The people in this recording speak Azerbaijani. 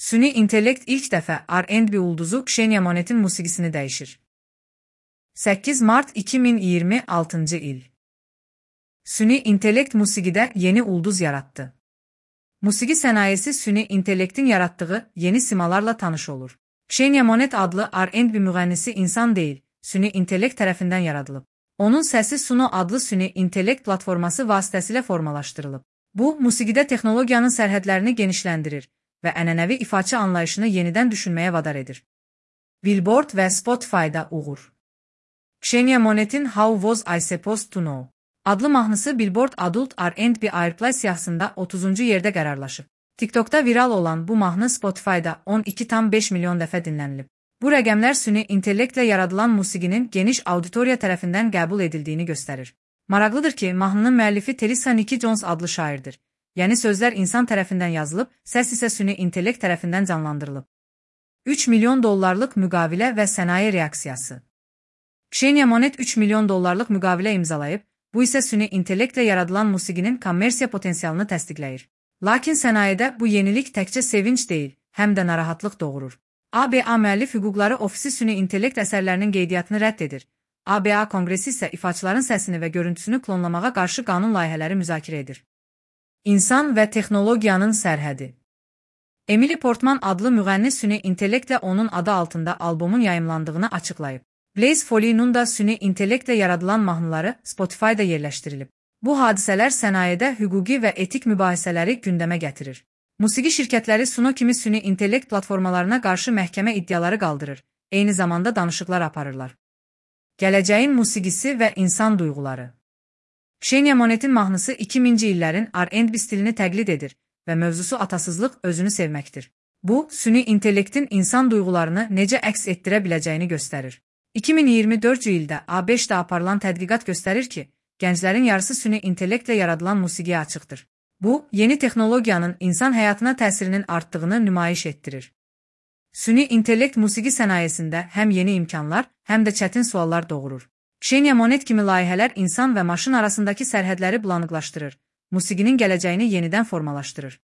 Süni intellekt ilk dəfə R&B ulduzu Ksenia Monet'in musiqisini dəyişir. 8 Mart 2026 il. Süni intellekt musiqidə yeni ulduz yaratdı. Musiqi sənayesi süni intellektin yaratdığı yeni simalarla tanış olur. Ksenia Monet adlı R&B müğənnisi insan deyil, süni intellekt tərəfindən yaradılıb. Onun səsi Suno adlı süni intellekt platforması vasitəsilə formalaşdırılıb. Bu, musiqidə texnologiyanın sərhədlərini genişləndirir və ənənəvi ifaçı anlayışını yenidən düşünməyə vadar edir. Billboard və Spotify-da uğur. Ksenia Monet'in How Was I Supposed to Know adlı mahnısı Billboard Adult R&B Airplay siyahısında 30-cu yerdə qərarlaşıb. TikTok'da viral olan bu mahnı Spotify'da 12,5 milyon dəfə dinlənilib. Bu rəqəmlər süni intellektlə yaradılan musiqinin geniş auditoriya tərəfindən qəbul edildiyini göstərir. Maraqlıdır ki, mahnının müəllifi Telisa Nikki Jones adlı şairdir. Yəni sözlər insan tərəfindən yazılıb, səs isə süni intellekt tərəfindən canlandırılıb. 3 milyon dollarlıq müqavilə və sənaye reaksiyası. Ksenia Monet 3 milyon dollarlıq müqavilə imzalayıb, bu isə süni intellektlə yaradılan musiqinin kommersiya potensialını təsdiqləyir. Lakin sənayedə bu yenilik təkcə sevinç deyil, həm də narahatlıq doğurur. ABA müəllif hüquqları ofisi süni intellekt əsərlərinin qeydiyyatını rədd edir. ABA Konqresi isə ifaçıların səsini və görüntüsünü klonlamağa qarşı qanun layihələri müzakirə edir. İnsan və texnologiyanın sərhədi. Emily Portman adlı müğənni süni intellektlə onun adı altında albomun yayımlandığını açıqlayıb. Blaze Foley'nin da süni intellektlə yaradılan mahnıları Spotify-da yerləşdirilib. Bu hadisələr sənayedə hüquqi və etik mübahisələri gündəmə gətirir. Musiqi şirkətləri Suno kimi süni intellekt platformalarına qarşı məhkəmə iddiaları qaldırır, eyni zamanda danışıqlar aparırlar. Gələcəyin musiqisi və insan duyğuları. Ksenia Monet'in mahnısı 2000-ci illərin R&B stilini təqlid edir və mövzusu atasızlıq, özünü sevməkdir. Bu, süni intellektin insan duyğularını necə əks etdirə biləcəyini göstərir. 2024-cü ildə A5-də aparılan tədqiqat göstərir ki, gənclərin yarısı süni intellektlə yaradılan musiqiyə açıqdır. Bu, yeni texnologiyanın insan həyatına təsirinin artdığını nümayiş etdirir. Süni intellekt musiqi sənayesində həm yeni imkanlar, həm də çətin suallar doğurur. Ksenia Monet kimi layihələr insan və maşın arasındakı sərhədləri bulanıqlaşdırır, musiqinin gələcəyini yenidən formalaşdırır.